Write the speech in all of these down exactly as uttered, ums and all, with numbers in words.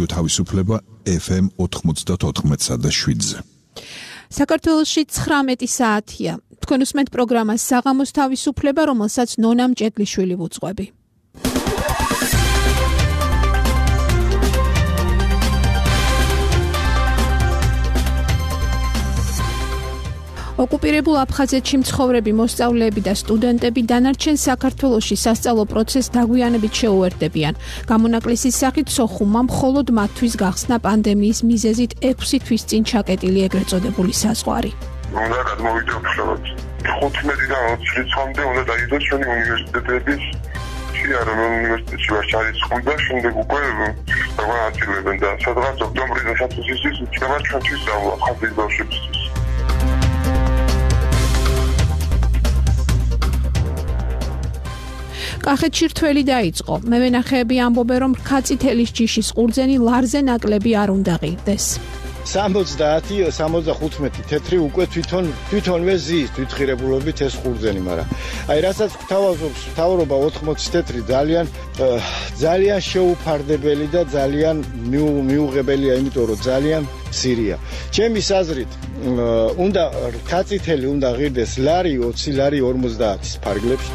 რადიო თავისუფლება ეფ ემ ოთხმოცდაოთხ და შვიდზე. საქართველოში ცხრამეტი საათია. თქვენ უსმენთ პროგრამას საღამოს თავისუფლება, რომელსაც ნონა მჭედლიშვილი ვუძღვები. ოკუპირებულ აფხაზეთში მცხოვრები მოსწავლეები და სტუდენტები დანარჩენ საქართველოში სასწავლო პროცესს დაგვიანებით შეუერთდებიან. გამონაკლისის სახით სოხუმმა მხოლოდ მათთვის გახსნა პანდემიის მიზეზით ექვსი თვის წინ ჩაკეტილი ეგრეთ წოდებული საზღვარი. უნდა გადმოვიდეოთ ხუთმეტიდან ოცი რიცხვამდე უნდა დაიდოს ჩვენი უნივერსიტეტების შეარა უნივერსიტეტში ვარ ჩარიცხული და შემდეგ უკვე დაგვანაწილებენ და სადღაც ოქტომბრის დასაწყისისთვის იქნება ჩვენთვის სწავლა ხაზის ბავშვებისთვის. კახეთში რთველი დაიწყო. მევენახეები ამბობენ, რომ რქაწითელის ჯიშის ყურძენი ლარზე ნაკლები არ უნდა ღირდეს. სამოცდაათი სამოცდახუთმეტი თეთრი უკვე თვითონ თვითონვე ზის თვითღირებულობით ეს ყურძენი, მაგრამ აი რასაც გვთავაზობს მთავრობა ოთხმოცი თეთრი ძალიან ძალიან შეუფარდებელი და ძალიან მიუღებელია, იმიტომ რომ ძალიან მცირეა. ჩემი აზრით უნდა რქაწითელი უნდა ღირდეს ლარი ოცი ლარი ორმოცდაათის ფარგლებში.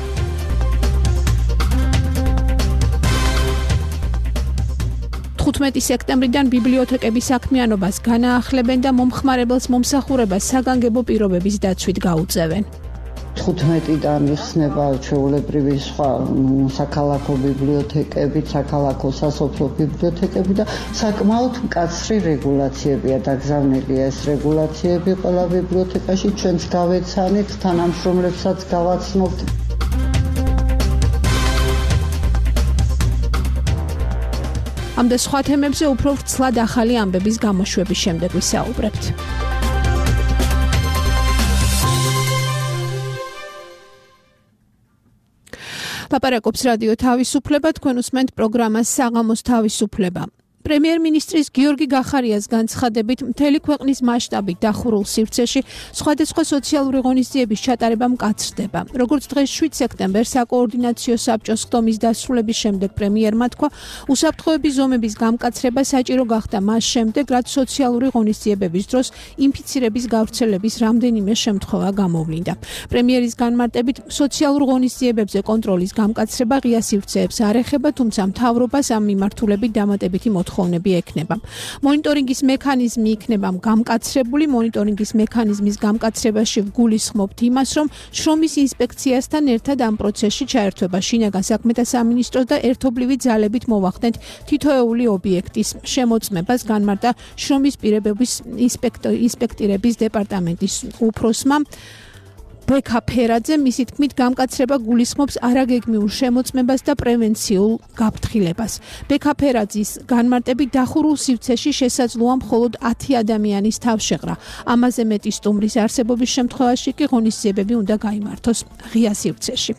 ხუთმეტი სექტემბრიდან ბიბლიოთეკების საქმიანობას განაახლებენ და მომხმარებელს მომსახურებას საგანგებო პირობების დაცვით გაუწევენ. თხუთმეტიდან იხსნება ჩვეულებრივი სხვა საქალაქო ბიბლიოთეკები, საქალაქო სასოფლო ბიბლიოთეკები და საკმაოდ მკაცრი რეგულაციებია დაგზავნილი ეს რეგულაციები ყველა ბიბლიოთეკაში ჩვენც გავეცანით, თანამშრომლებსაც გავაცნობთ. ამ და სხვა თემებზე უფრო ვრცლად ახალი ამბების გამოშვების შემდეგ ვისაუბრებთ. ლაპარაკობს რადიო თავისუფლება, თქვენ უსმენთ პროგრამას საღამოს თავისუფლება. პრემიერ-მინისტრის გიორგი გახარიას განცხადებით, მთელი ქვეყნის მასშტაბით დახურულ სივრცეში სხვადასხვა სოციალური ღონისძიების ჩატარება მკაცრდება. როგორც დღეს შვიდ სექტემბერს საკოორდინაციო საბჭოს ხდომის დასრულების შემდეგ პრემიერმა თქვა, უსაფრთხოების ზომების გამკაცრება საჭირო გახდა მას შემდეგ, რაც სოციალური ღონისძიებების დროს ინფიცირების გავრცელების რამდენიმე შემთხვევა გამოვლინდა. პრემიერის განმარტებით, სოციალურ ღონისძიებებზე კონტროლის გამკაცრება ღია სივრცეებს არ ეხება, თუმცა მთავრობას ამ მიმართულებით დამატებითი მოთხოვნა ექნება. მონიტორინგის მექანიზმი იქნება გამკაცრებული. მონიტორინგის მექანიზმის გამკაცრებაში ვგულისხმობთ იმას, რომ შრომის ინსპექციასთან ერთად ამ პროცესში ჩაერთვება შინაგან საქმეთა სამინისტროს და ერთობლივი ძალებით მოვახდენთ თითოეული ობიექტის შემოწმებას, განმარტა შრომის პირებების ინსპექტირების დეპარტამენტის უფროსმა ბექა ფერაძე. მისი თქმით, გამკაცრება გულისხმობს არაგეგმიურ შემოწმებას და პრევენციულ გაფრთხილებას. ბექა ფერაძის განმარტებით, დახურულ სივრცეში შესაძლოა მხოლოდ ათი ადამიანის თავშეღრა. ამაზე მეტი სტუმრის არსებობის შემთხვევაში კი ღონისძიებები უნდა გაიმართოს ღია სივრცეში.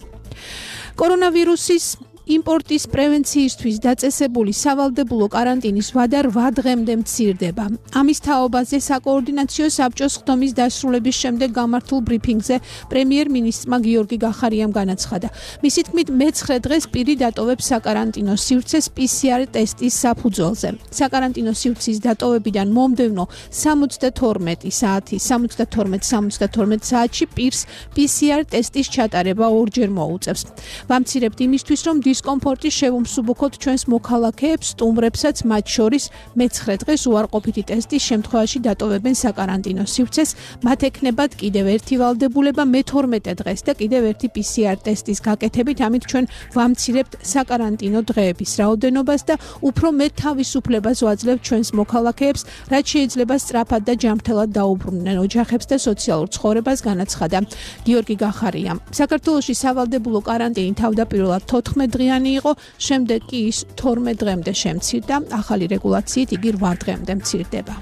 კორონავირუსის იმპორტის პრევენციისთვის დაწესებული სავალდებულო კარანტინის ვადა რვა დღემდე მცირდება. ამის თაობაზე საკოორდინაციო საბჭოს ხდომის დასრულების შემდეგ გამართულ ბრიფინგზე პრემიერ-მინისტრმა გიორგი გახარიამ განაცხადა. მისი თქმით, მეცხრე დღეს პირი დატოვებს საკარანტინო სივრცეს პი სი არ ტესტის საფუძველზე. საკარანტინო სივრცის დატოვებიდან მომდევნო სამოცდათორმეტი საათი, სამოცდათორმეტ სამოცდათორმეტ საათში პირს პი სი არ ტესტის ჩატარება ორჯერ მოუწევს. ვამცირებთ იმისთვის, რომ დისკომფორტი შევუმსუბუქოთ ჩვენს მოქალაქეებს, სტუმრებსაც, მათ შორის მეცხრე დღეს უარყოფითი ტესტის შემთხვევაში დატოვებენ საკარანტინო სივრცეს, მათ ექნებათ კიდევ ერთი ვალდებულება მეთორმეტე დღეს და კიდევ ერთი პი სი არ ტესტის გაკეთებით, ამით ჩვენ ვამცირებთ საკარანტინო დღეების რაოდენობას და უფრო მეტ თავისუფლებას ვაძლევთ ჩვენს მოქალაქეებს, რაც შეიძლება სწრაფად და ჯანმრთელად დაუბრუნდნენ ოჯახებს და სოციალურ ცხოვრებას, განაცხადა გიორგი გახარიამ. საქართველოში სავალდებულო კარანტინი თავდაპირველად თოთხმეტ დღიანი იყო, შემდეგ კი ის თორმეტ დღემდე შემცირდა, ახალი რეგულაციით იგი რვა დღემდე მცირდება.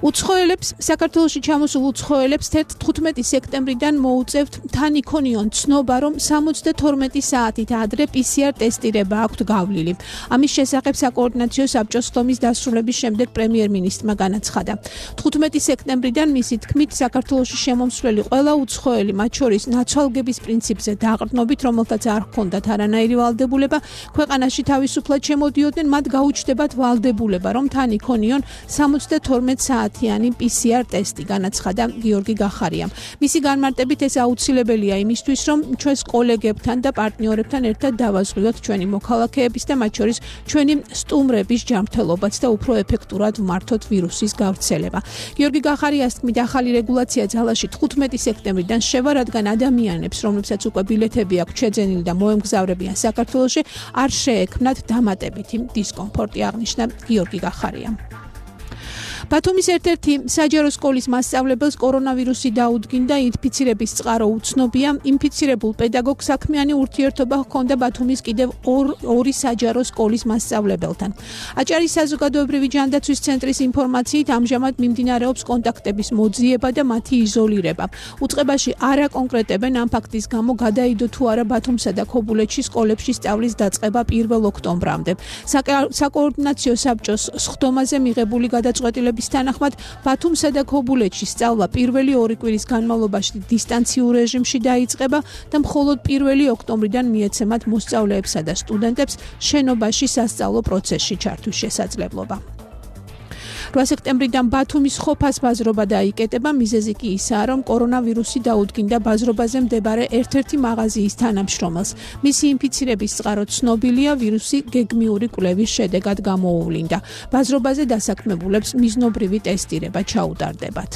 უცხოელებს საქართველოში ჩამოსულ უცხოელებს თხუთმეტი სექტემბრიდან მოუწევთ თან იქონიონ ცნობა, რომ სამოცდათორმეტი საათით ადრე პი სი არ ტესტირება აქვთ გავლილი. ამის შესახებ საკოორდინაციო საბჭოს ხდომის დასრულების შემდეგ პრემიერ-მინისტრმა განაცხადა. თხუთმეტი სექტემბრიდან მისი თქმით საქართველოში შემომსვლელი ყველა უცხოელი, მათ შორის ნაცვალგების პრინციპზე დაყრდნობით, რომელთაც არ ჰქონდათ არანაირი ვალდებულება, ქვეყანაში თავისუფლად შემოდიოდნენ, მათ გაუჩნდებათ ვალდებულება, რომ თან იქონიონ სამოცდათორმეტ საათიანი პი სი არ ტესტი, განაცხადა გიორგი გახარიამ. მისი განმარტებით ეს აუცილებელია იმისთვის, რომ ჩვენს კოლეგებთან და პარტნიორებთან ერთად დავაზღვიოთ ჩვენი მოქალაქეების და მათ შორის ჩვენი სტუმრების ჯანმრთელობაც და უფრო ეფექტურად ვმართოთ ვირუსის გავრცელება. გიორგი გახარიას თქმით, ახალი რეგულაცია ძალაში თხუთმეტი სექტემბრიდან შევა, რადგან ადამიანებს, რომლებსაც უკვე ბილეთები აქვთ შეძენილი და მოემგზავრებიან საქართველოში, არ შეექმნათ დამატებითი დისკომფორტი, აღნიშნა გიორგი გახარიამ. ბათუმის ერთ-ერთი საჯარო სკოლის მასწავლებელს კორონავირუსი დაუდგინდა, ინფიცირების წყარო უცნობია. ინფიცირებულ პედაგოგს საქმიანი ურთიერთობა ჰქონდა ბათუმის კიდევ ორი საჯარო სკოლის მასწავლებელთან. აჭარის საზოგადოებრივი ჯანდაცვის ცენტრის ინფორმაციით, ამჟამად მიმდინარეობს კონტაქტების მოძიება და მათი იზოლირება. უწყებაში არ აკონკრეტებენ ამ ფაქტის გამო გადაიდო თუ არა ბათუმსა და ქობულეთში სკოლებში სწავლის დაწყება პირველ ოქტომბრამდე. საკოორდინაციო საბჭოს სხდომაზე მიღებული გადაწყვეტილება bis თანახმად ბათუმსა და ქობულეთში სწავლა პირველი ორი კვირის განმავლობაში დისტანციურ რეჟიმში დაიწყება და მხოლოდ პირველი ოქტომბრიდან მიეცემათ მოსწავლეებსა და სტუდენტებს შენობაში სასწავლო პროცესში ჩართვის შესაძლებლობა. რვა სექტემბრიდან ბათუმის ხოფას ბაზრობა დაიკეტება, მიზეზი კი ისაა, რომ კორონავირუსი დაუდგინდა ბაზრობაზე მდებარე ერთ-ერთი მაღაზიის თანამშრომელს. მისი ინფიცირების წყარო ცნობილია, ვირუსი გეგმიური კვლევის შედეგად გამოუვლინდა. ბაზრობაზე დასაქმებულებს მიზნობრივი ტესტირება ჩაუტარდებათ.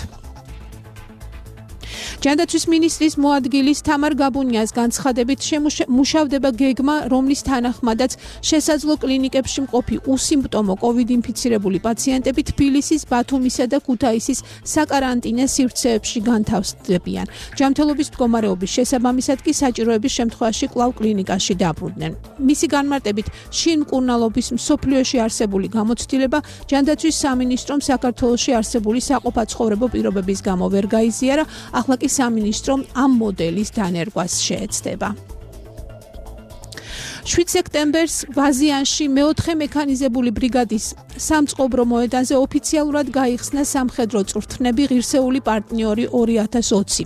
ჯანდაცვის მინისტრის მოადგილის თამარ გაბუნიას განცხადებით მუშავდება გეგმა, რომლის თანახმადაც შესაძლო კლინიკებში მყოფი უსიმპტომო კოვიდ ინფიცირებული პაციენტები თბილისის, ბათუმისა და ქუთაისის საკარანტინე სივრცეებში განთავსდებიან. ჯანმრთელობის მდგომარეობის შესაბამისად კი საჭიროების შემთხვევაში კვლავ კლინიკაში დაბრუნდნენ. მისი განმარტებით, შინ მკურნალობის მსოფლიოში არსებული გამოცდილება ჯანდაცვის სამინისტრომ საქართველოში არსებული საყოფაცხოვრებო პირობების გამო ვერ გაიზიარა, ახლა კი სამინისტრომ ამ მოდელის დანერგვას შეეცდება. შვიდ სექტემბერს ვაზიანში მეოთხე მექანიზებული ბრიგადის სამწყობრო მოედანზე ოფიციალურად გაიხსნა სამხედრო წვრთნები ღირსეული პარტნიორი ორი ათას ოცი.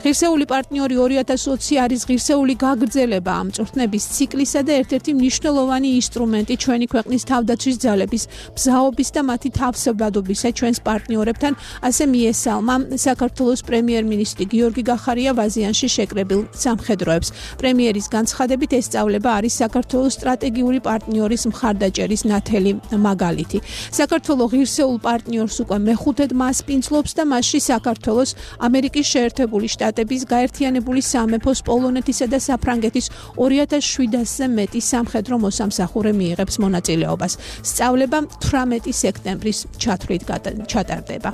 ღირსეული პარტნიორი ორი ათას ოცი არის ღირსეული გაგრძელება ამ წვრთნების ციკლისა და ერთ-ერთი მნიშვნელოვანი ინსტრუმენტი ჩვენი ქვეყნის თავდაცვის ძალების ბზაობის და მათი თავსებადობისა ჩვენს პარტნიორებთან, ასე მიესალმა საქართველოს პრემიერ-მინისტრი გიორგი გახარია ვაზიანში შეკრებილ სამხედროებს. პრემიერის განცხადებით ეს სწავლება არის საქართველოს სტრატეგიული პარტნიორის მხარდაჭერის ნათელი მაგალითი. საქართველოს ღირსეულ პარტნიორს უკვე მეხუთედ მასპინძლობს და მასში საქართველოს, ამერიკის შეერთებული შტატების, გაერთიანებული სამეფოს, პოლონეთისა და საფრანგეთის ორი ათას შვიდასზე მეტი სამხედრო მოსამსახურე მიიღებს მონაწილეობას. სწავლება თვრამეტი სექტემბრის ჩათვლით ჩატარდება.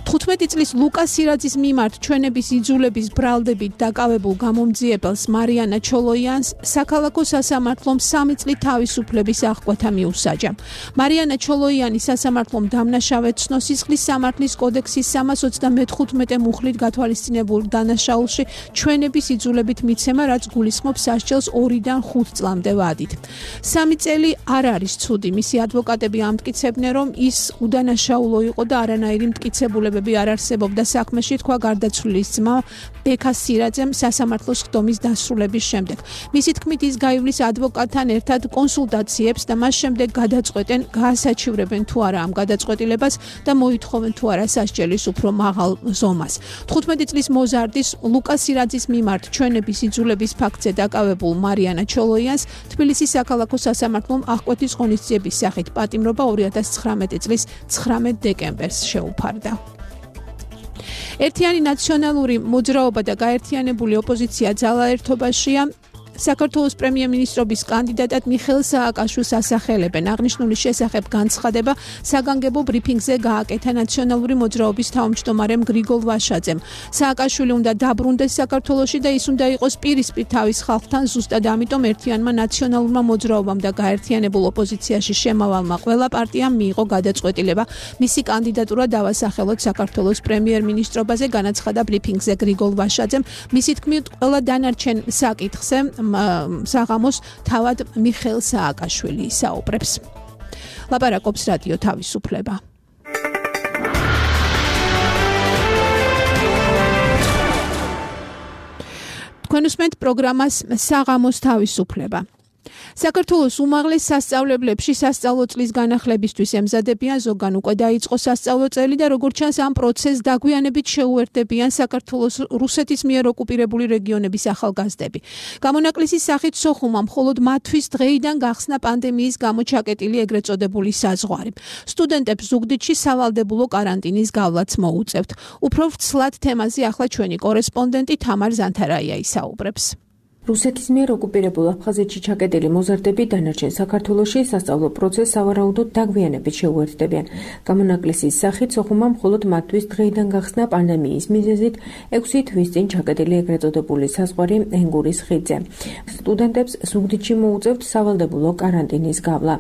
თხუთმეტი წლის ლუკას სირაძის მიმართ ჩვენების იძულების ბრალდებით დაკავებულ გამომძიებელს მარიანა ჩოლოიანს საქალაქო სასამართლომ სამი წლით თავისუფლების აღკვეთა მიუსაჯა. მარიანა ჩოლოიანი სასამართლომ დამნაშავედ ცნო სისხლის სამართლის კოდექსის სამას ოცდამეთხუთმეტე მუხლით გათვალისწინებულ დანაშაულში ჩვენების იძულებით მიცემა, რაც გულისხმობს სასჯელს ორიდან ხუთ წლამდე ვადით. სამი წელი არ არის ცუდი. მისი ადვოკატები ამტკიცებდნენ, რომ ის უდანაშაულო იყო და არანაირი მტკიცებულება არ არსებობდა საქმეში, თქვა გარდაცვლილის ძმა ბექა სირაძემ სასამართლოს ხდომის დასრულების შემდეგ. მისი თქმით, ის გაივლის ადვოკატთან ერთად კონსულტაციებს და მას შემდეგ გადაწყვეტენ, გაასაჩივრებენ თუ არა ამ გადაწყვეტილებას და მოითხოვენ თუ არა სასჯელის უფრო მაღალ ზომას. თხუთმეტი წლის მოზარდის ლუკას სირაძის მიმართ ჩვენების იძულების ფაქტზე დაკავებულ მარიანა ჩოლოიანს თბილისის საქალაქო სასამართლომ აღკვეთის ღონისძიების სახით პატიმრობა ორი ათას ცხრამეტი წლის ცხრამეტ დეკემბერს შეუფარდა. ერთიანი ნაციონალური მოძრაობა და გაერთიანებული ოპოზიცია ძალაერთობაშია. საქართველოს პრემიერ-მინისტრობის კანდიდატად მიხეილ სააკაშვილს ასახელებენ. აღნიშნული შესახებ განცხადება საგანგებო ბრიფინგზე გააკეთა ნაციონალური მოძრაობის თავმჯდომარემ გრიგოლ ვაშაძემ. სააკაშვილი უნდა დაბრუნდეს საქართველოში და ის უნდა იყოს პირისპირ თავის ხალხთან, ზუსტად ამიტომ ერთიანმა ნაციონალურმა მოძრაობამ და გაერთიანებულ ოპოზიციაში შემავალმა ყველა პარტიამ მიიღო გადაწყვეტილება მისი კანდიდატურა დავასახელოთ საქართველოს პრემიერ-მინისტრობაზე, განაცხადა ბრიფინგზე გრიგოლ ვაშაძემ. მისი თქმით, ყველა დანარჩენ საკითხზე საღამოს თავად მიხეილ სააკაშვილი ისაუბრებს. ლაპარაკობს რადიო თავისუფლება. თქვენ უსმენთ პროგრამას საღამოს თავისუფლება. საქართველოს უმაღლეს სასწავლებლებში სასწავლო წლის განახლებისთვის ემზადებიან, ზოგან უკვე დაიწყო სასწავლო წელი და როგორც ჩანს ამ პროცესს დაგვიანებით შეუერთდებიან საქართველოს რუსეთის მიერ ოკუპირებული რეგიონების ახალგაზრდები. გამონაკლისის სახით სოხუმმა მხოლოდ მათთვის დღეიდან გახსნა პანდემიის გამო ჩაკეტილი ეგრეთ წოდებული საზღვარი. სტუდენტებს ზუგდიდში სავალდებულო კარანტინის გავლაც მოუწევთ. უფრო ვრცლად თემაზე ახლა ჩვენი კორესპონდენტი თამარ ზანთარაია ისაუბრებს. რუსეთის მიერ ოკუპირებულ აფხაზეთში ჩაკეტილი მოზარდები დანარჩენ საქართველოში სასწავლო პროცესს სავარაუდოდ დაგვიანებით შეუერთდებიან. გამონაკლისის სახით სოხუმმა მხოლოდ მათთვის დღეიდან გახსნა პანდემიის მიზეზით ექვსი თვის წინ ჩაკეტილი ეგრეთ წოდებული საზღვარი ენგურის ხიდზე. სტუდენტებს ზუგდიდში მოუწევთ სავალდებულო კარანტინის გავლა.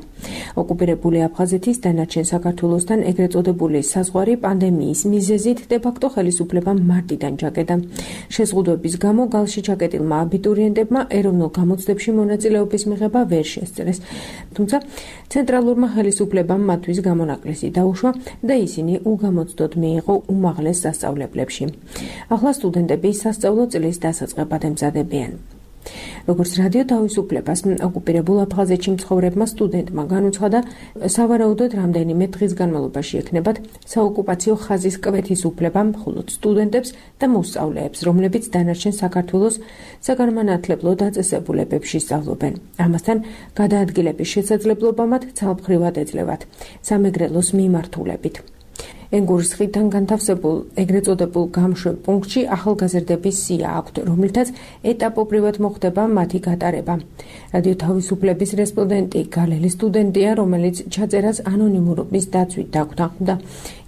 ოკუპირებული აფხაზეთის დანარჩენ საქართველოსთან ეგრეთ წოდებული საზღვარი პანდემიის მიზეზით დე-ფაქტო ხელისუფლებამ მარტიდან ჩაკეტა. შეზღუდვების გამო გალში ჩაკეტილმა აბიტურიენტებმა ეროვნულ გამოცდებში მონაწილეობის მიღება ვერ შესწრეს. თუმცა ცენტრალურმა ხელისუფლებამ მათთვის გამონაკლისი დაუშვა და ისინი უგამოცდოდ მიიღო უმაღლეს სასწავლებლებში. ახლა სტუდენტები სასწავლო წლის დასაწყებად ემზადებიან. როგორც რადიო თავისუფლებას ოკუპირებულ აფხაზეთში მცხოვრებმა სტუდენტმა განუცხადა, სავარაუდოდ რამდენიმე დღის განმავლობაში ექნებათ საოკუპაციო ხაზის კვეთის უფლება მხოლოდ სტუდენტებს და მოსწავლეებს, რომლებიც დანარჩენ საქართველოს საგანმანათლებლო დაწესებულებებში სწავლობენ. ამასთან გადაადგილების შესაძლებლობა მათ ცალმხრივად ეძლევათ სამეგრელოს მიმართულებით. ენგურის ხიდთან განთავსებულ ეგრეთ წოდებულ გამშვებ პუნქტში ახალგაზრდების სია აქვთ, რომლითაც ეტაპობრივად მოხდება მათი გატარება. რადიო თავისუფლების რესპონდენტი გალელი სტუდენტია, რომელიც ჩაწერას ანონიმურობის დაცვით დაგვთანხმდა.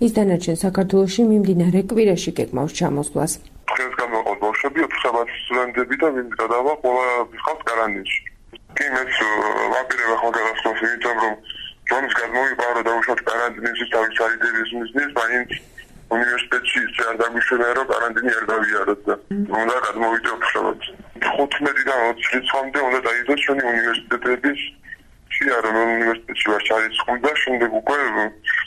ის დანარჩენ საქართველოში მიმდინარე კვირაში გეგმავს ჩამოსვლას. დღეს გამოყოთ ბავშვები, ოთხი სტუდენტები და ვინც გადავა, ყველა ხალხს კარანტინში. კი მეც ვაპირებ ახალ გადასვლას, იმიტომ რომ ჯონის გადმოიპარო და უშუალოდ კარანტინის თავის არიდების მიზნით, მაინც უნივერსიტეტში არ დაგვიშვება, რომ კარანტინი არ გავიაროთ და უნდა გადმოვიდე უშუალოდ. ხუთმეტიდან ოცი რიცხვამდე უნდა დაიდოს ჩვენი უნივერსიტეტების შეარონ უნივერსიტეტში ვარ ჩარიცხული, შემდეგ უკვე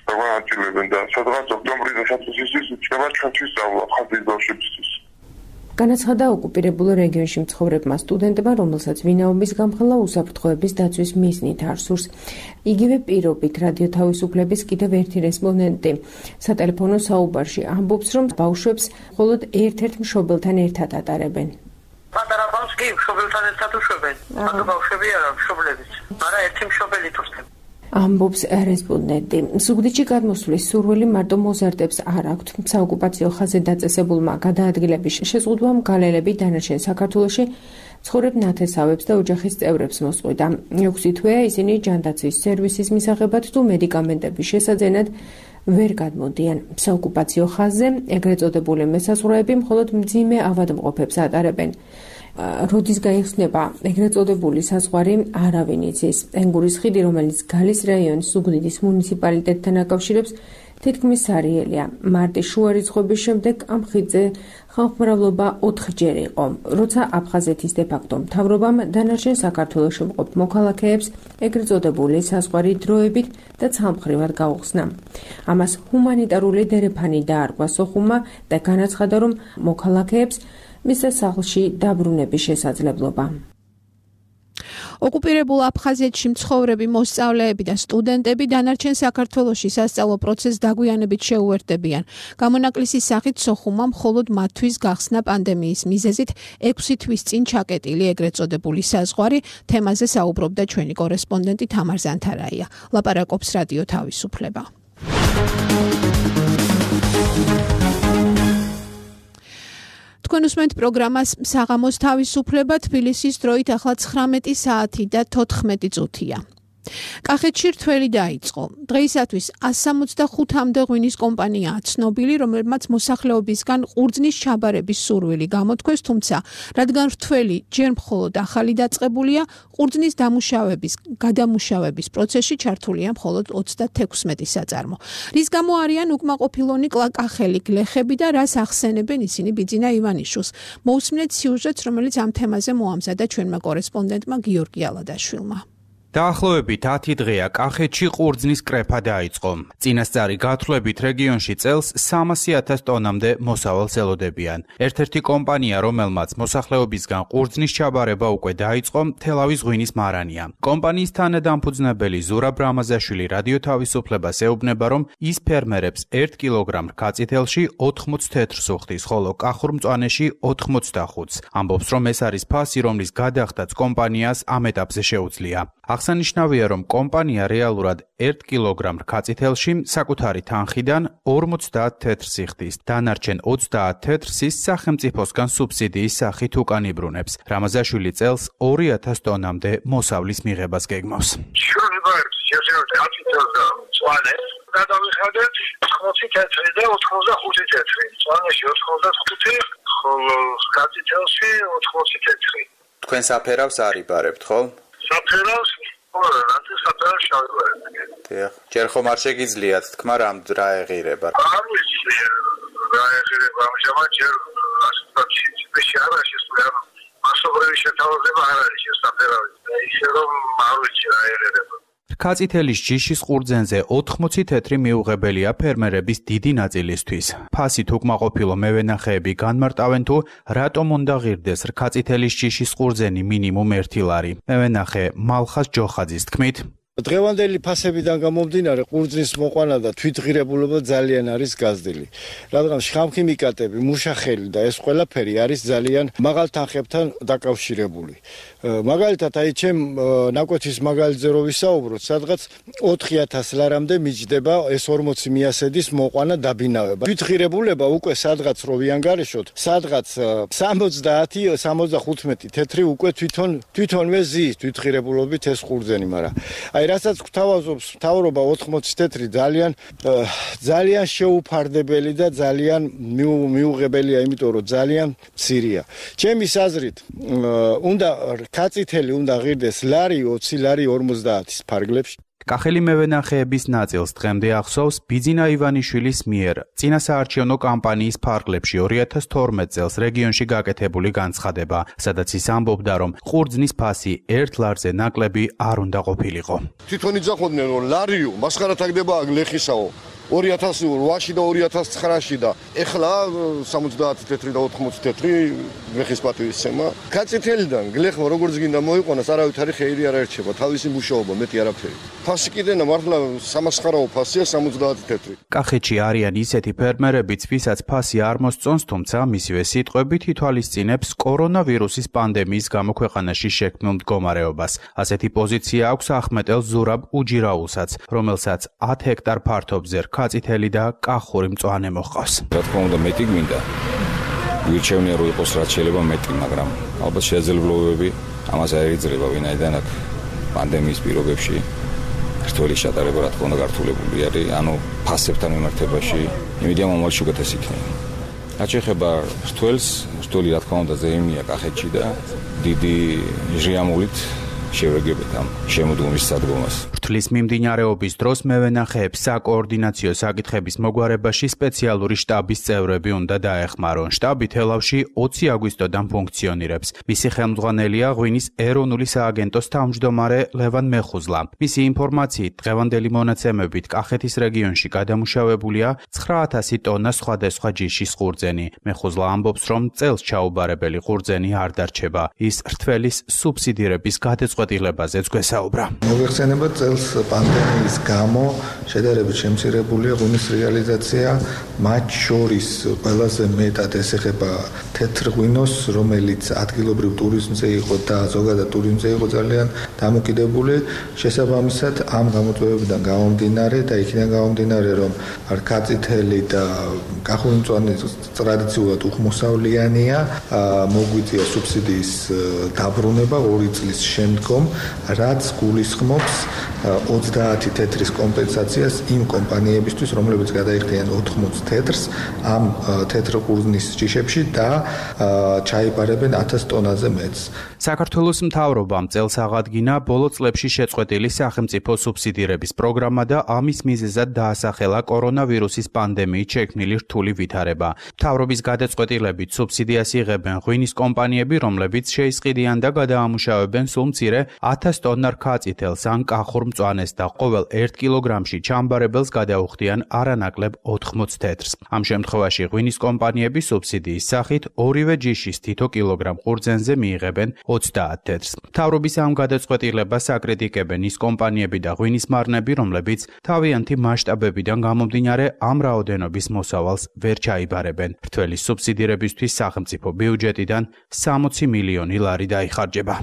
დაგვანაწილებენ და სადღაც ოქტომბრის დასაწყისისთვის იქნება ჩვენთვის სწავლა ხაზის ბავშვებისთვის. განაცხადა ოკუპირებულ რეგიონში მცხოვრებმა სტუდენტებმა, რომელსაც ვინაობის გამხელა უსაფრთხოების დაცვის მიზნით არ სურს. იგივე პირობით რადიო თავისუფლების კიდევ ერთი რესპონდენტი სატელეფონო საუბარში ამბობს, რომ ბავშვებს მხოლოდ ერთ-ერთ მშობელთან ერთად ატარებენ. პატარა ბავშვს კი მშობელთან ერთად უშვებენ. ანუ ბავშვები არა, მშობლებიც. არა, ერთი მშობელი თურქები. ამბობს რესპონდენტი. ზუგდიდში გადმოსვლის სურვილი მარტო მოზარდებს არ აქვთ. საოკუპაციო ხაზზე დაწესებულმა გადაადგილების შეზღუდვამ გალელები დანარჩენ საქართველოში ცხოვრებ ნათესავებს და ოჯახის წევრებს მოსყვიდა. ექვსი თვეა ისინი ჯანდაცვის სერვისის მისაღებად თუ მედიკამენტების შესაძენად ვერ გადმოდიან. საოკუპაციო ხაზზე ეგრეთ წოდებული მესაზღვრეები მხოლოდ მძიმე ავადმყოფებს ატარებენ. როდის გაიხსნება ეგრეთ წოდებული საზღვარი არავინ იცის. ენგურის ხიდი, რომელიც გალის რაიონის ზუგდიდის მუნიციპალიტეტთან აკავშირებს, თითქმის სარიელია. მარტის შუა რიცხვების შემდეგ ამ ხიდზე ხალხმრავლობა ოთხჯერ იყო, როცა აფხაზეთის დე-ფაქტო მთავრობამ დანარჩენ საქართველოში მყოფ მოქალაქეებს ეგრეთ წოდებული საზღვარი დროებით და ცალმხრივად გაუხსნა. ამას ჰუმანიტარული დერეფანი დაარქვა სოხუმმა და განაცხადა, რომ მოქალაქეებს მისცა სახლში დაბრუნების შესაძლებლობა. ოკუპირებულ აფხაზეთში მცხოვრები მოსწავლეები და სტუდენტები დანარჩენ საქართველოში სასწავლო პროცესს დაგვიანებით შეუერთდებიან. გამონაკლისის სახით სოხუმმა მხოლოდ მათთვის გახსნა პანდემიის მიზეზით ექვსი თვის წინ ჩაკეტილი ეგრეთ წოდებული საზღვარი. თემაზე საუბრობდა ჩვენი კორესპონდენტი თამარ ზანთარაია. ლაპარაკობს რადიო თავისუფლება. თქვენ უსმენთ პროგრამას საღამოს თავისუფლება, თბილისის დროით ახლა ცხრამეტი საათი და თოთხმეტი წუთია. კახეთში რთველი დაიწყო. დღეისათვის one seventy-five-მდე ღვინის კომპანიაა ცნობილი, რომელმაც მოსახლეობისგან ყურძნის ჩაბარების სურვილი გამოთქვეს, თუმცა რადგან რთველი ჯერ მხოლოდ ახალი დაწყებულია, ყურძნის დამუშავების, გადამუშავების პროცესში ჩართულია მხოლოდ ოცდათექვსმეტი საწარმო. რის გამო არიან უკმაყოფილონი კახელი გლეხები და რას ახსენებენ ისინი ბიძინა ივანიშვილს. მოусმინეთ სიუჟეტს, რომელიც ამ თემაზე მოამზადა ჩვენმა კორესპონდენტმა გიორგი ალადაშვილმა. დაახლოებით ათი დღეა კახეთში ყურძნის კრეფა დაიწყო. წინასწარი გათვლებით რეგიონში წელს სამასი ათას ტონამდე მოსავალს ელოდებიან. ერთ-ერთი კომპანია, რომელმაც მოსახლეობისგან ყურძნის ჩაბარება უკვე დაიწყო, თელავის ღვინის მარანია. კომპანიის თანადამფუძნებელი ზურაბ რამაზაშვილი რადიო თავისუფლებას ეუბნება, რომ ის ფერმერებს ერთ კილოგრამ რქაწითელში ოთხმოცი თეთრს უხდის, ხოლო კახურ მწვანეში ოთხმოცდახუთს. ამბობს, რომ ეს არის ფასი, რომლის გადახდაც კომპანიას ამ ეტაპზე შეუძლია. აღსანიშნავია, რომ კომპანია რეალურად ერთ კილოგრამ რქაწითელში საკუთარი თანხიდან ორმოცდაათ თეთრს იხდის. დანარჩენ ოცდაათ თეთრს ის სახელმწიფოსგან სუბსიდიის სახით უკან იბრუნებს. რამაზაშვილი წელს ორი ათას ტონამდე მოსავლის მიღებას გეგმავს. გადავიხადეთ ოთხმოცი თეთრი და ოთხმოცდახუთი თეთრი. მწვანეში ოთხმოცდახუთი, ხოლო რქაწითელში ოთხმოცი თეთრი. თქვენ საფერავს არ იბარებთ, ხო? საფერავს რანტი საფერავს შევიბარებ. დიახ. ჯერ ხომ არ შეგიძლიათ თქვა რამ რა ეღირება? არ ვიცი რა ეღირება ამჟამად ჯერ ასეთი სიტუაცია არა შესწავლება. მასობრივი შეთავაზება არ არის შესაფერავი. ისე რომ არ ვიცი რა ეღირება. რქაწითელის ჯიშის ყურძენზე ოთხმოცი თეთრი მიუღებელია ფერმერების დიდი ნაწილისთვის. ფასით უკმაყოფილო მევენახეები განმარტავენ თუ რატომ უნდა ღირდეს რქაწითელის ჯიშის ყურძენი მინიმუმ ერთი ლარი. მევენახე მალხას ჯოხაძის თქმით, დღევანდელი ფასებიდან გამომდინარე ყურძნის მოყვანა და თვითღირებულობა ძალიან არის გაზრდილი. რადგან შხამქიმიკატები, მუშახელი და ეს ყველაფერი არის ძალიან მაღალ თანხებთან დაკავშირებული. მაგალითად, აი ჩემ ნაკვეთის მაგალითზე რო ვისაუბროთ, სადღაც ოთხი ათას ლარამდე მიჯდება ეს ორმოცი მიასედის მოყვანა დაბინავება. თვითღირებულება უკვე სადღაც რო ვიანგარიშოთ, სადღაც სამოცდაათი სამოცდახუთმეტი თეთრი უკვე თვითონ თვითონვე ზის თვითღირებულობით ეს ყურძენი, მაგრამ აი რასაც გვთავაზობს მთავრობა ოთხმოცი თეთრი ძალიან ძალიან შეუფარდებელი და ძალიან მიუღებელია, იმიტომ რომ ძალიან მცირეა. ჩემი აზრით, უნდა რქაწითელი უნდა ღირდეს ლარი ოცი, ლარი ორმოცდაათის ფარგლებში. კახელი მევენახეების ნაწილს დღემდე ახსოვს ბიძინა ივანიშვილის მიერ წინასაარჩევნო კამპანიის ფარგლებში ორი ათას თორმეტ წელს რეგიონში გაკეთებული განცხადება, სადაც ის ამბობდა, რომ ყურძნის ფასი ერთ ლარზე ნაკლები არ უნდა ყოფილიყო. თვითონ იძახოდნენ, რომ ლარიო მასხარა თაგდება გლეხისაო. ორი ათას ოთხში და ორი ათას ცხრაში და ეხლა სამოცდაათი თეთრი და ოთხმოცი თეთრი გლეხის პატივისცემა. კაწითელიდან გლეხმა როგორც გინდა მოიყვანოს, არავითარი ხეირი არ ერჩება, თავისი მუშაობა მეტი არაფერი. ფასი კიდენა მართლა სამასხარაო ფასია სამოცდაათი თეთრი. კახეთში არიან ისეთი ფერმერებიც, ვისაც ფასი არ მოსწონს, თუმცა მისივე სიტყვებით ითვალისწინებს კორონავირუსის პანდემიის გამო ქვეყანაში შექმნილ მდგომარეობას. ასეთი პოზიცია აქვს ახმეტელ ზურაბ უჯირაულსაც, რომელსაც ათ ჰექტარ ფართობზე რქაწითელი და კახური მწვანე მოჰყავს. რა თქმა უნდა, მეტი გვინდა. ვირჩევნია რომ იყოს რაც შეიძლება მეტი, მაგრამ ალბათ შესაძლებლობები ამას არ იძლევა, ვინაიდან აქ პანდემიის პირობებში რთველი შეტარება რა თქმა უნდა გართულებული არის, ანუ ფასებთან მიმართებაში იმედია მომავალში უკეთესი იქნება. რაც შეეხება რთველს, რთველი რა თქმა უნდა ზეიმია კახეთში და დიდი ჟიამულით შევეგებთ ამ შემოდგომის სადგომას. რთვლის მიმდინარეობის დროს მევენახეებს საკოორდინაციო საკითხების მოგვარებაში სპეციალური შტაბის წევრები უნდა დაეხმარონ. შტაბი თელავში ოცი აგვისტოდან ფუნქციონირებს. მისი ხელმძღვანელია ღვინის ეროვნული სააგენტოს თავმჯდომარე ლევან მეხუზლა. მისი ინფორმაციით, დღევანდელი მონაცემებით კახეთის რეგიონში გადამუშავებულია ცხრა ათასი ტონა სხვადასხვა ჯიშის ყურძენი. მეხუზლა ამბობს, რომ წელს ჩაუბარებელი ყურძენი არ დარჩება. ის რთველის სუბსიდირების გადაწყვეტილებას გადაწყვეტილებაზეც გვესაუბრა. მოგვეხსენება წელს პანდემიის გამო შედარებით შემცირებულია ღვინის რეალიზაცია, მათ შორის ყველაზე მეტად ესეხება თეთრ ღვინოს, რომელიც ადგილობრივ ტურიზმზე იყო და ზოგადად ტურიზმზე იყო ძალიან დამოკიდებული. შესაბამისად, ამ გამოწვევებიდან გამომდინარე და იქიდან გამომდინარე, რომ ქაწითელი და კახური-მწვანე ტრადიციულად უხმოსავლიანია, მოგვიწია სუბსიდიის დაბრუნება ორი წლის შემდგომ, რაც გულისხმობს ოცდაათი თეთრის კომპენსაციას იმ კომპანიებისთვის, რომლებიც გადაიხდიან ოთხმოც თეთრს ამ თეთრ ყურძნის ჯიშებში და ჩაიბარებენ ათას ტონაზე მეტს. საქართველოს მთავრობამ წელს აღადგინა ბოლო წლებში შეწყვეტილი სახელმწიფო სუბსიდირების პროგრამა და ამის მიზეზად დაასახელა კორონავირუსის პანდემიით შექმნილი რთული ვითარება. მთავრობის გადაწყვეტილებით სუბსიდიას იღებენ ღვინის კომპანიები, რომლებიც შეისყიდიან და გადაამუშავებენ სულ მცირე ათას ტონა რქაწითელს ან კახურ მწვანეს და ყოველ ერთ კილოგრამში ჩამბარებელს გადაუხდიან არანაკლებ ოთხმოც თეთრს. ამ შემთხვევაში ღვინის კომპანიები სუბსიდიის სახით ორივე ჯიშის თითო კილოგრამ ყურძენზე მიიღებენ ოცდაათ თეთრს. მთავრობის ამ გადაწყვეტილებას აკრიტიკებენ ის კომპანიები და ღვინის მარნები, რომლებიც თავიანთი მასშტაბებიდან გამომდინარე ამ რაოდენობის მოსავალს ვერ ჩაიბარებენ. მრთველი სუბსიდირებისთვის სახელმწიფო ბიუჯეტიდან სამოცი მილიონი ლარი დაიხარჯება.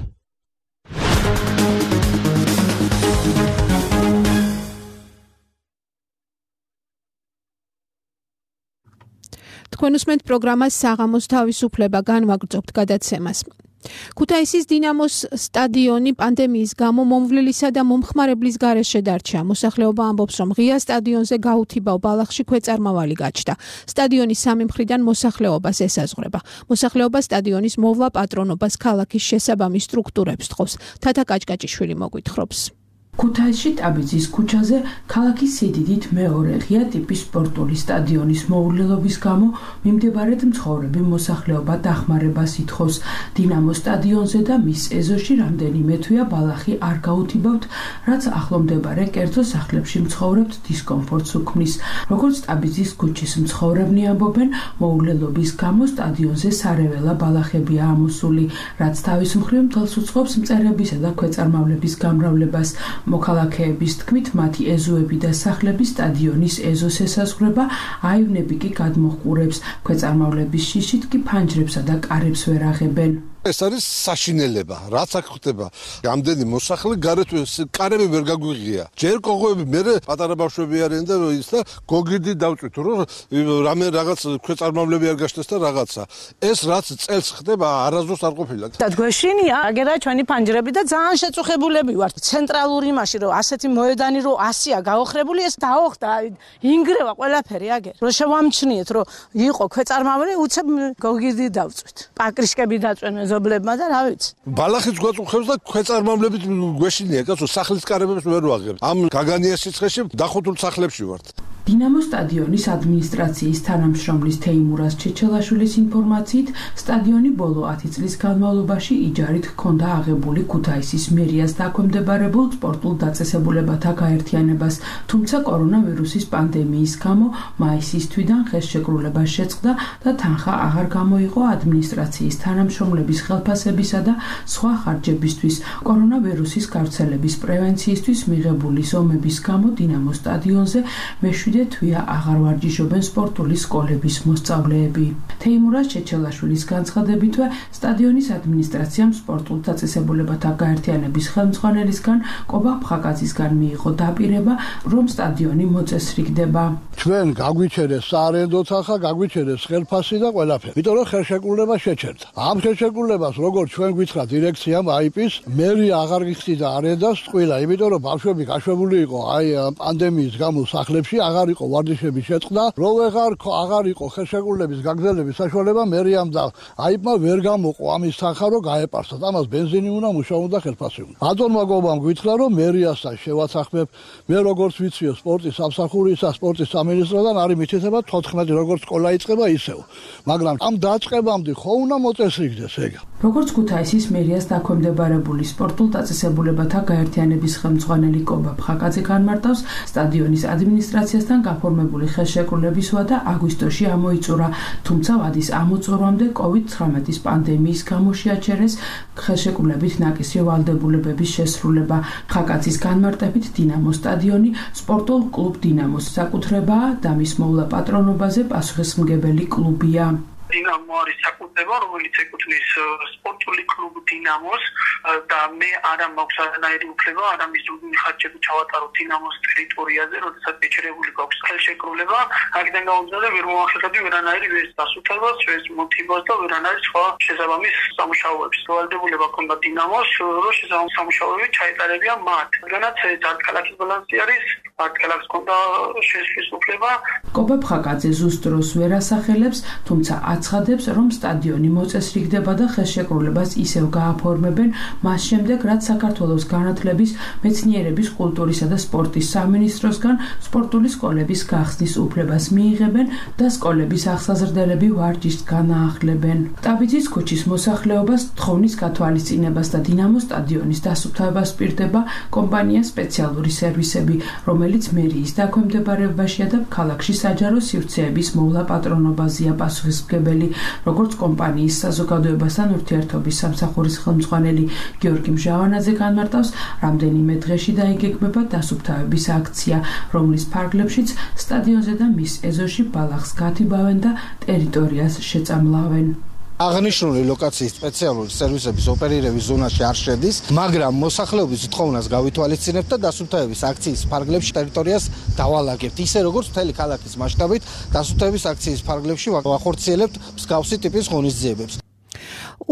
თქვენ უსმენთ პროგრამას საღამოს თავისუფლება, განვაგრძობთ გადაცემას. ქუთაისის დინამოს სტადიონი პანდემიის გამო მომვლელისა და მომხმარებლის გარეშე დარჩა. მოსახლეობა ამბობს, რომ ღია სტადიონზე გაუთიბავ ბალახში ქვეწარმავალი გაჩნდა. სტადიონი სამი მხრიდან მოსახლეობას ესაზღვრება. მოსახლეობა სტადიონის მოვლა პატრონობას ქალაქის შესაბამის სტრუქტურებს თხოვს. თათა კაჭკაჭიშვილი მოგვითხრობს. ქუთაისში ტაბიძის ქუჩაზე ქალაქის სიდიდით მეორე ღია ტიპის სპორტული სტადიონის მოუვლელობის გამო მიმდებარედ მცხოვრები მოსახლეობა დახმარებას ითხოვს. დინამო სტადიონზე და მის ეზოში რამდენიმე თვეა ბალახი არ გაუთიბავთ, რაც ახლომდებარე კერძო სახლებში მცხოვრებთ დისკომფორტს უქმნის. როგორც ტაბიძის ქუჩის მცხოვრებნი ამბობენ, მოუვლელობის გამო სტადიონზე სარეველა ბალახებია ამოსული, რაც თავის მხრივ მთელს უწყობს მწერებისა და ქვეწარმავლების გამრავლებას. მოქალაქეების თქმით, მათი ეზოები და სახლები სტადიონის ეზოს ესაზღვრება, აივნები კი გადმოჰყურებს, ქვეწარმავლების შიშით კი ფანჯრებსა და კარებს ვერ აღებენ. ეს არის საშინელება, რაც აქ ხდება. ამდენი მოსახლე გარეთ კარები ვერ გაგვიღია. ჯერ კოღოები, მე პატარა ბავშვები არიან და ის და გოგიდი დავწვით, რომ რამე რაღაც ქვეწარმავლები არ გაშտეს და რაღაცა. ეს რაც წელს ხდება, არასდროს არ ყოფილა. და გვეშინია, აგერა ჩვენი ფანჯრები და ძალიან შეწუხებულები ვართ. ცენტრალური იმაში, რომ ასეთი მოედანი რომ ასია გაოხრებული, ეს დაოხდა, ინგრევა ყველაფერი აგერ. რომ შევამჩნიეთ, რომ იყო ქვეწარმავლები, უცებ გოგიდი დავწვით. პაკრიშკები დაწვენ ზობლებმა და რა ვიცი. ბალახიც გვაწუხებს და ქვეწარმავლებით გვეშინია, კაცო, სახლის კარებებს ვერ ვაღებთ. ამ გაგანიას სიცხეში დახუთულ სახლებში ვართ. დინამო სტადიონის ადმინისტრაციის თანამშრომლის თეიმურაზ ჩეჩელაშვილის ინფორმაციით, სტადიონი ბოლო ათი წლის განმავლობაში იჯარით ჰქონდა აღებული ქუთაისის მერიას დაქვემდებარებულ სპორტულ დაწესებულებათა გაერთიანებას, თუმცა კორონავირუსის პანდემიის გამო მაისის თვიდან ხელშეკრულება შეწყდა და თანხა აღარ გამოიყო ადმინისტრაციის თანამშრომლების ხელფასებისა და სხვა ხარჯებისთვის. კორონავირუსის გავრცელების პრევენციისთვის მიღებული ზომების გამო დინამო სტადიონზე მეშვიდე თვეა აღარ ვარჯიშობენ სპორტული სკოლების მოსწავლეები. თეიმურაზ ჩეჩელაშვილის განცხადებითვე, სტადიონის ადმინისტრაციამ სპორტულ დაწესებულებათა გაერთიანების ხელმძღვანელისგან კობა ფხაკაძისგან მიიღო დაპირება, რომ სტადიონი მოწესრიგდება. ჩვენ გაგვიჩერეს საარენდო თანხა, გაგვიჩერეს ხელფასი და ყველაფერი. იმიტომ რომ ხელშეკრულება შეჩერდა. ამ ხელშეკრულებას როგორც ჩვენ გითხრა დირექციამ აიპის, მერია აღარ გიხდიდა არენდას ყველა, იმიტომ რომ ბავშვები გაშვებული იყო აი პანდემიის გამო სახლებში, აღარ იყო ვარჯიშების შეწყდა, რო ვეღარ აღარ იყო ხელშეკრულების გაგრძელების საშუალება, მერიამ და აიპმა ვერ გამოყო ამის თანხა, რომ გაეპარსათ. ამას ბენზინი უნდა, მუშა უნდა, ხელფასი უნდა. ატონმა გობამ გითხრა, რომ მერიასთან შევაცახმებ. მე როგორც ვიციო სპორტის სამსახურისა, სპორტის სამინისტროდან არის მითითება თოთხმეტი როგორც სკოლა იწყება ისევ. მაგრამ ამ დაწყებამდე ხო უნდა მოწესრიგდეს ეგ. როგორც ქუთაისის მერიას დაქვემდებარებული სპორტულ დაწესებულებათა გაერთიანების ხელმძღვანელი კობა ფხაკაძე განმარტავს, სტადიონის ადმინისტრაციასთან გაფორმებული ხელშეკრულების ვადა აგვისტოში ამოიწურა, თუმცა ვადის ამოწურვამდე კოვიდ ცხრამეტის პანდემიის გამო შეაჩერეს ხელშეკრულებით ნაკისრი ვალდებულებების შესრულება. ფხაკაძის განმარტებით, დინამოს სტადიონი სპორტულ კლუბ დინამოს საკუთრებაა და მის მოვლა პატრონობაზე პასუხისმგებელი კლუბია. დინამო არის საკუთრება, რომელიც ეკუთვნის სპორტული კლუბ დინამოს და მე არა მაქვს არანაირი უფლება, არა მიზნული ხარჯები ჩავატარო დინამოს ტერიტორიაზე, როდესაც ეჩერებული გვაქვს ხელშეკრულება, აქედან გამომდინარე ვერ მომახერხებდი ვერანაირი ვერც დასუფლებას, ვერც მოტივას და ვერანაირ სხვა შესაბამის სამუშაოებს. ვალდებულება ჰქონდა დინამოს, რომ შესაბამის სამუშაოები ჩაეტარებია მათ. რადგანაც ჯარდქალაქის ბალანსი არის, ჯარდქალაქს ჰქონდა შესვლის უფლება. კობა ფხაკაძე ზუსტ დროს ვერ ასახელებს, თუმცა აცხადებს, რომ სტადიონი მოწესრიგდება და ხელშეკრულებას ისევ გააფორმებენ მას შემდეგ, რაც საქართველოს განათლების, მეცნიერების, კულტურისა და სპორტის სამინისტროსგან სპორტული სკოლების გახსნის უფლებას მიიღებენ და სკოლების აღსაზრდელები ვარჯიშს განაახლებენ. ტაბიძის ქუჩის მოსახლეობას თხოვნის გათვალისწინებას და დინამოს სტადიონის დასუფთავებას პირდება კომპანია სპეციალური სერვისები, რომელიც მერიის დაქვემდებარებაშია და ქალაქში საჯარო სივრცეების მოვლა პატრონობაზეა პასუხისმგებელი. როგორც კომპანიის საზოგადოებასთან ურთიერთობის სამსახურის ხელმძღვანელი გიორგი მჟავანაძე განმარტავს, რამდენიმე დღეში დაიგეგმება დასუფთავების აქცია, რომლის ფარგლებშიც სტადიონზე და მის ეზოში ბალახს გათიბავენ და ტერიტორიას შეწამლავენ. აღნიშნული ლოკაციის სპეციალური სერვისების ოპერირების ზონაში არ შედის, მაგრამ მოსახლეობის თხოვნას გავითვალისწინებთ და დასუფთავების აქციის ფარგლებში ტერიტორიას დავალაგებთ. ისე როგორც მთელი ქალაქის მასშტაბით დასუფთავების აქციის ფარგლებში ვახორციელებთ მსგავსი ტიპის ღონისძიებებს.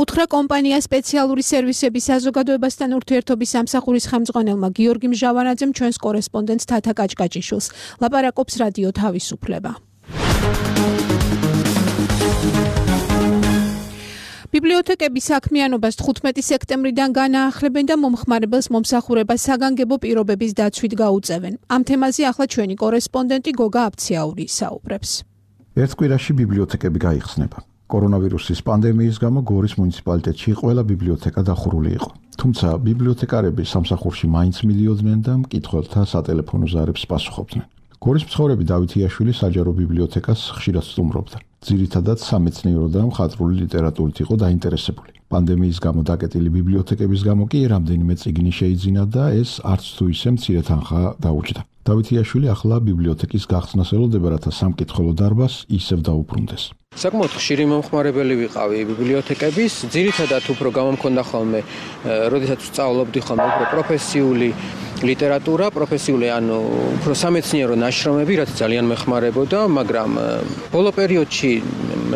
უთხრა კომპანია სპეციალური სერვისების საზოგადოებასთან ურთიერთობის სამსახურის ხელმძღვანელმა გიორგი მჟავანაძემ ჩვენს კორესპონდენტს თათა კაჭკაჭიშვილს. ლაპარაკობს რადიო თავისუფლება. ბიბლიოთეკების საქმიანობას თხუთმეტი სექტემბრიდან განაახლებენ და მომხმარებელს მომსახურება საგანგებო პირობების დაცვით გაუწევენ. ამ თემაზე ახლა ჩვენი კორესპონდენტი გოგა აფციაური ისაუბრებს. ერთ კვირაში ბიბლიოთეკები გაიხსნება. კორონავირუსის პანდემიის გამო გორის მუნიციპალიტეტში ყველა ბიბლიოთეკა დახურული იყო. თუმცა ბიბლიოთეკარები სამსახურში მაინც მიდიოდნენ და მკითხველთა სატელეფონო ზარებს პასუხობდნენ. გორის მცხოვრები დავით იაშვილი საჯარო ბიბლიოთეკას ხშირად სტუმრობდა. ძირითადად სამეცნიერო და მხატვრული ლიტერატურით იყო დაინტერესებული. პანდემიის გამო დაკეტილი ბიბლიოთეკების გამო კი რამდენიმე წიგნი შეიძინა და ეს არც თუ ისე მცირე თანხა დაუჯდა. დავით იაშვილი ახლა ბიბლიოთეკის გახსნას ელოდება, რათა სამკითხველო დარბაზს ისევ დაუბრუნდეს. საკმაოდ ხშირი მომხმარებელი ვიყავი ბიბლიოთეკების, ძირითადად უფრო გამომქონდა ხოლმე, როდესაც ვსწავლობდი ხოლმე უფრო პროფესიული ლიტერატურა, პროფესიული ანუ უფრო სამეცნიერო ნაშრომები, რაც ძალიან მეხმარებოდა, მაგრამ ბოლო პერიოდში,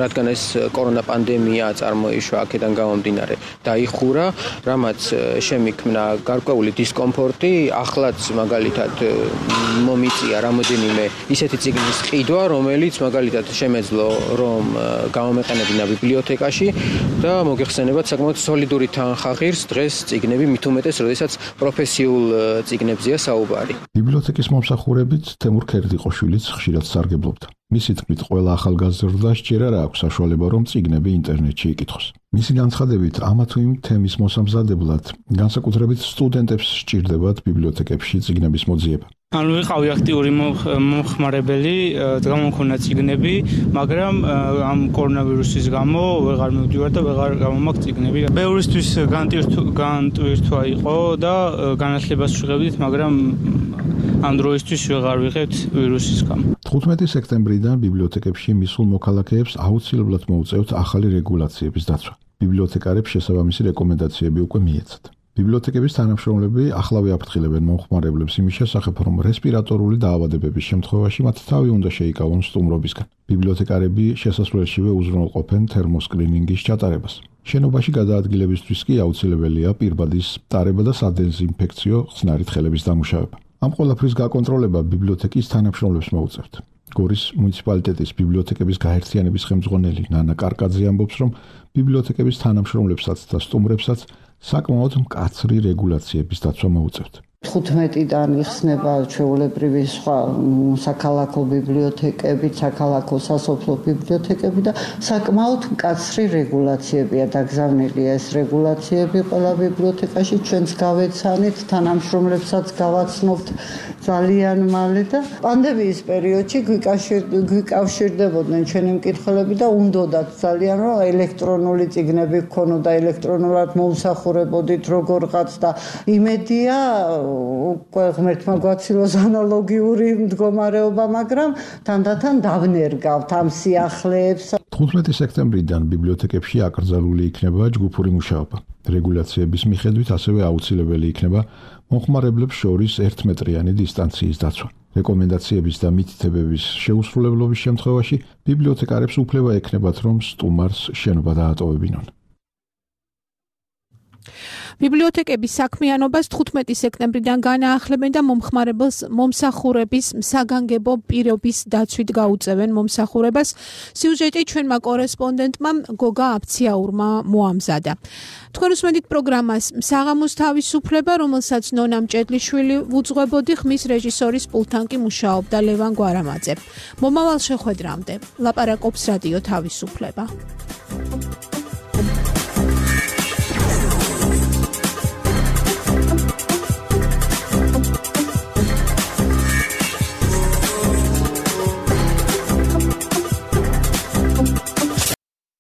რადგან ეს კორონა პანდემია წარმოიშვა აქედან გამომდინარე, დაიხურა, რამაც შემიქმნა გარკვეული დისკომფორტი, ახლაც მაგალითად მომიწია რამოდენიმე ისეთი წიგნის ყიდვა, რომელიც მაგალითად შემეძლო, რომ გამომეყენებინა ბიბლიოთეკაში და მოგეხსენებათ საკმაოდ სოლიდური თანხა ღირს დღეს წიგნები, მით უმეტეს, როდესაც პროფესიულ წიგნებზეა საუბარი. ბიბლიოთეკის მომსახურებით თემურ ქერდიყოშვილიც ხშირად სარგებლობდა. მისი თქმით, ყველა ახალგაზრდა სჯერა რა აქვს საშუალება, რომ წიგნები ინტერნეტში იკითხოს. მისი განცხადებით, ამა თუ იმ თემის მოსამზადებლად განსაკუთრებით სტუდენტებს სჭირდებათ ბიბლიოთეკებში წიგნების მოძიება. ანუ ვიყავი აქტიური მომხმარებელი, გამომქონა წიგნები, მაგრამ ამ კორონავირუსის გამო ვეღარ მივდივარ და ვეღარ გამომაქვს წიგნები. ბევრისთვის განტვირთვა იყო და განათლებას ვიღებდით, მაგრამ ამ დროისთვის ვეღარ ვიღებთ ვირუსის გამო. თხუთმეტი სექტემბრიდან ბიბლიოთეკებში მისულ მოქალაქეებს აუცილებლად მოუწევთ ახალი რეგულაციების დაცვა. ბიბლიოთეკარებს შესაბამისი რეკომენდაციები უკვე მიეცათ. ბიბლიოთეკების თანამშრომლები ახლავე აფრთხილებენ მომხმარებლებს იმის შესახებ, რომ რესპირატორული დაავადებების შემთხვევაში მათ თავი უნდა შეიკავონ სტუმრობისგან. ბიბლიოთეკარები შესასვლელშივე უზრუნველყოფენ თერმოსკრინინგის ჩატარებას. შენობაში გადაადგილებისთვის კი აუცილებელია პირბადის ტარება და სადეზინფექციო ხსნარით ხელების დამუშავება. ამ ყველაფრის გაკონტროლება ბიბლიოთეკის თანამშრომლებს მოუწევთ. გორის მუნიციპალიტეტის ბიბლიოთეკების გაერთიანების ხელმძღვანელი ნანა კარკაძე ამბობს, რომ ბიბლიოთეკების თანამშრომლებსაც და სტუმრებსაც საკმაოდ მკაცრი რეგულაციების დაცვა მოუწევთ. თხუთმეტიდან იხსნება ჩვეულებრივი სხვა საქალაქო ბიბლიოთეკები, საქალაქო სასოფლო ბიბლიოთეკები და საკმაოდ მკაცრი რეგულაციებია დაგზავნილი ეს რეგულაციები ყველა ბიბლიოთეკაში ჩვენც გავეცანით, თანამშრომლებსაც გავაცნობთ ძალიან მალე და პანდემიის პერიოდში გვიკავშირდებოდნენ ჩვენი მკითხველები და უნდოდათ ძალიან რომ ელექტრონული წიგნები გქონოდა, ელექტრონულად მომსახურებოდით როგორღაც და იმედია უკვე ღმერთმა გვაცილოს ანალოგიური მდგომარეობა, მაგრამ თანდათან დავნერგავთ ამ სიახლეებს. თხუთმეტი სექტემბრიდან ბიბლიოთეკებში აკრძალული იქნება ჯგუფური მუშაობა. რეგულაციების მიხედვით ასევე აუცილებელი იქნება მომხმარებლებს შორის ერთმეტრიანი დისტანციის დაცვა. რეკომენდაციების და მითითებების შეუსრულებლობის შემთხვევაში ბიბლიოთეკარებს უფლება ექნებათ, რომ სტუმარს შენობა დაატოვებინონ. ბიბლიოთეკების საქმიანობას თხუთმეტი სექტემბრიდან განაახლებენ და მომხმარებელს მომსახურების საგანგებო პირობის დაცვით გაუწევენ მომსახურებას. სიუჟეტი ჩვენმა კორესპონდენტმა გოგა აფციაურმა მოამზადა. თქვენ უსმენთ პროგრამას საღამოს თავისუფლება, რომელსაც ნონა მჭედლიშვილი უძღვებოდი, ხმის რეჟისორის პულტთან კი მუშაობდა ლევან გვარამაძე. მომავალ შეხვედრამდე ლაპარაკობს რადიო თავისუფლება.